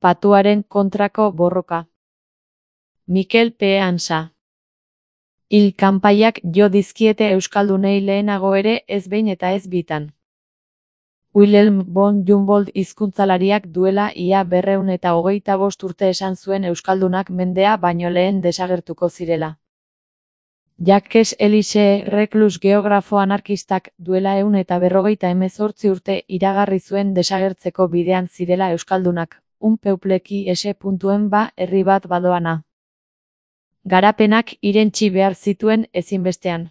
Patuaren kontrako borroka. Mikel P. Ansa. Hil kanpaiak jo dizkiete euskaldunei lehenago ere ez behin eta ez bitan. Wilhelm von Humboldt hizkuntzalariak duela ia 225 urte esan zuen euskaldunak mendea baino lehen desagertuko zirela. Jacques Élysée Reclus geografo anarkistak duela 158 urte iragarri zuen desagertzeko bidean zirela euskaldunak, un peuple qui ba herri bat badoana. Garapenak irentsi behar zituen ezinbestean.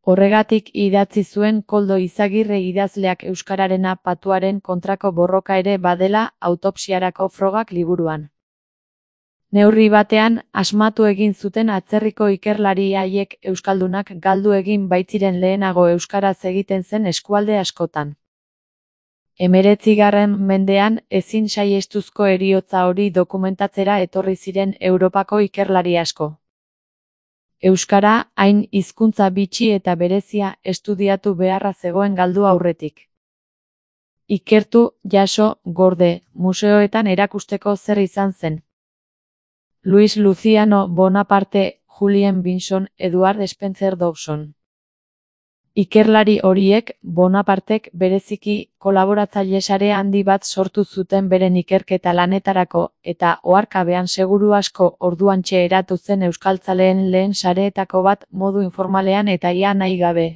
Horregatik idatzi zuen Koldo Izagirre idazleak euskararena patuaren kontrako borroka ere badela autopsiarako frogak liburuan. Neurri batean, asmatu egin zuten atzerriko ikerlari haiek euskaldunak galdu egin baitziren lehenago euskaraz egiten zen eskualde askotan. 19. mendean ezin saihestuzko heriotza hori dokumentatzera etorri ziren Europako ikerlari asko. Euskara, hain hizkuntza bitxi eta berezia, estudiatu beharra zegoen galdu aurretik. Ikertu, jaso, gorde, museoetan erakusteko zer izan zen. Luis Luciano Bonaparte, Julien Binson, Edward Spencer Dawson. Ikerlari horiek, Bonapartek bereziki kolaboratzaile sare handi bat sortu zuten beren ikerketa lanetarako, eta oharkabean seguru asko orduantxe eratu zen euskaltzaleen lehen sareetako bat modu informalean eta ia nahi gabe.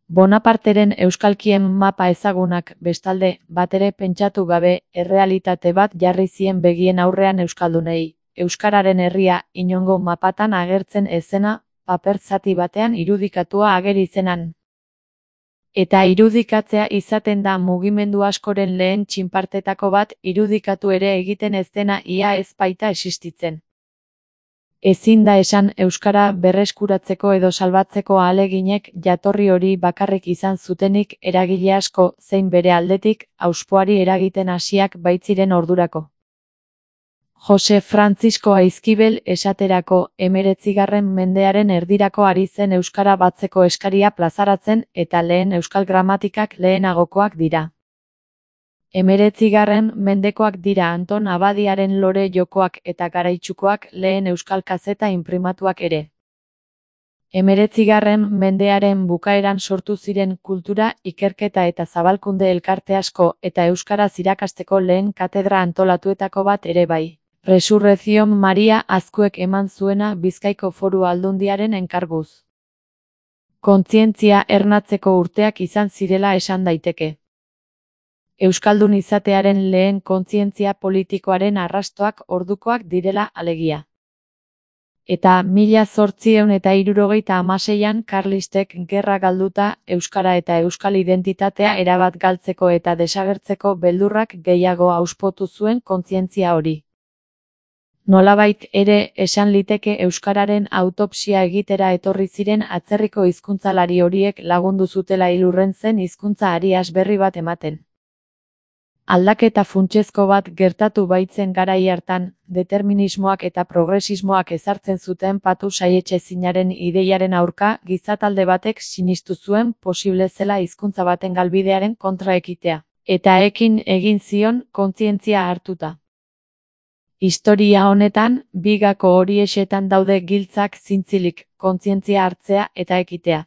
Bonaparteren euskalkien mapa ezagunak, bestalde, batere pentsatu gabe, errealitate bat jarri zien begien aurrean euskaldunei, euskararen herria inongo mapatan agertzen ez zena, paper zati batean irudikatua ageri zenan. Eta irudikatzea izaten da mugimendu askoren lehen txinpartetako bat irudikatu ere egiten ez dena ia ez baita existitzen. Ezin da esan euskara berreskuratzeko edo salbatzeko ahaleginek jatorri hori bakarrik izan zutenik eragile asko zein bere aldetik auspoari eragiten hasiak baitziren ordurako. Jose Francisco Aizkibel esaterako 19. mendearen erdirako ari zen euskara batzeko eskaria plazaratzen eta lehen euskal gramatikak lehenagokoak dira. 19. mendekoak dira Anton Abadiaren lore jokoak eta garaitsukoak lehen euskal kazeta inprimatuak ere. 19. mendearen bukaeran sortu ziren kultura, ikerketa eta zabalkunde elkarte asko eta euskaraz irakasteko lehen katedra antolatuetako bat ere bai. Resurrezion Maria Azkuek eman zuena Bizkaiko Foru Aldundiaren enkarguz. Kontzientzia ernatzeko urteak izan zirela esan daiteke. Euskaldun izatearen lehen kontzientzia politikoaren arrastoak ordukoak direla alegia. Eta 1876an karlistek gerra galduta euskara eta euskal identitatea erabat galtzeko eta desagertzeko beldurrak gehiago auspotu zuen kontzientzia hori. Nolabait ere esan liteke euskararen autopsia egitera etorri ziren atzerriko hizkuntzalari horiek lagundu zutela hilurren zen hizkuntza arias berri bat ematen. Aldaketa funtsezko bat gertatu baitzen garai hartan, determinismoak eta progresismoak ezartzen zuten patu saietsezinaren ideiaren aurka gizatalde batek sinistu zuen posible zela hizkuntza baten galbidearen kontra ekitea, eta ekin egin zion kontzientzia hartuta. Historia honetan, bigako horiesetan daude giltzak zintzilik, kontzientzia hartzea eta ekitea.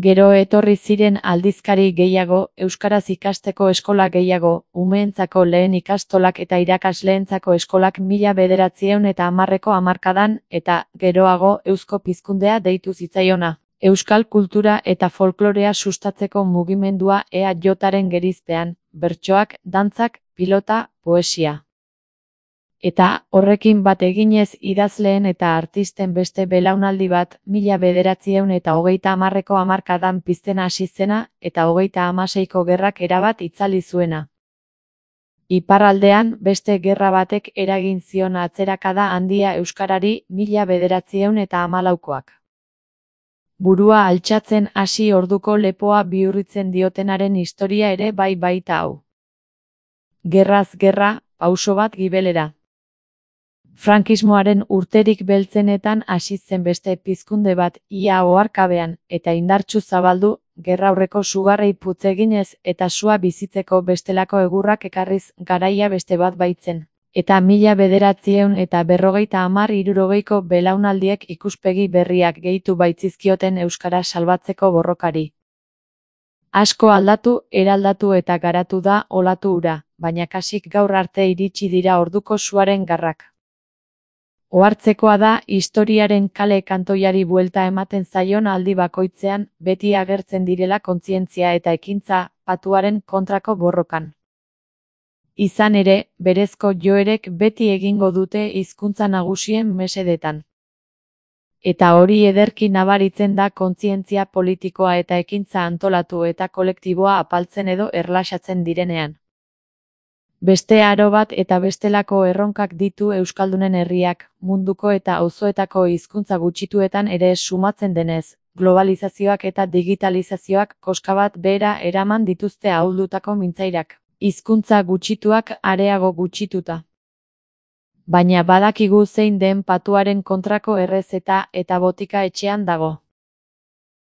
Gero etorri ziren aldizkari gehiago, euskaraz ikasteko eskola gehiago, umeentzako lehen ikastolak eta irakasleentzako eskolak 1910ko hamarkadan, eta, geroago, eusko pizkundea deitu zitzaiona. Euskal kultura eta folklorea sustatzeko mugimendua EAJaren gerizpean, bertsoak, dantzak, pilota, poesia. Eta, horrekin bat eginez idazleen eta artisten beste belaunaldi bat, 1930ko hamarkadan pizten hasi zena, eta 36ko gerrak erabat itzali zuena. Iparraldean, beste gerra batek eragin zion atzerakada handia euskarari 1914koak. Burua altxatzen hasi orduko lepoa bihurritzen diotenaren historia ere bai baita hau. Gerraz gerra, pauso bat gibelera. Frankismoaren urterik beltzenetan hasi zen beste pizkunde bat ia oharkabean eta indartsu zabaldu, gerraurreko sugarrei putz eginez eta sua bizitzeko bestelako egurrak ekarriz garaia beste bat baitzen. Eta 1950-hirurogeiko belaunaldiek ikuspegi berriak gehitu baitzizkioten euskara salbatzeko borrokari. Asko aldatu, eraldatu eta garatu da olatu hura, baina kasik gaur arte iritsi dira orduko suaren garrak. Ohartzekoa da historiaren kale kantoiari buelta ematen zaion aldi bakoitzean beti agertzen direla kontzientzia eta ekintza patuaren kontrako borrokan. Izan ere, berezko joerek beti egingo dute hizkuntza nagusien mesedetan. Eta hori ederki nabaritzen da kontzientzia politikoa eta ekintza antolatu eta kolektiboa apaltzen edo erlaxatzen direnean. Beste aro bat eta bestelako erronkak ditu euskaldunen herriak, munduko eta auzoetako hizkuntza gutxituetan ere sumatzen denez, globalizazioak eta digitalizazioak koska bat behera eraman dituzte ahuldutako mintzairak, hizkuntza gutxituak areago gutxituta. Baina badakigu zein den patuaren kontrako errezeta eta botika etxean dago.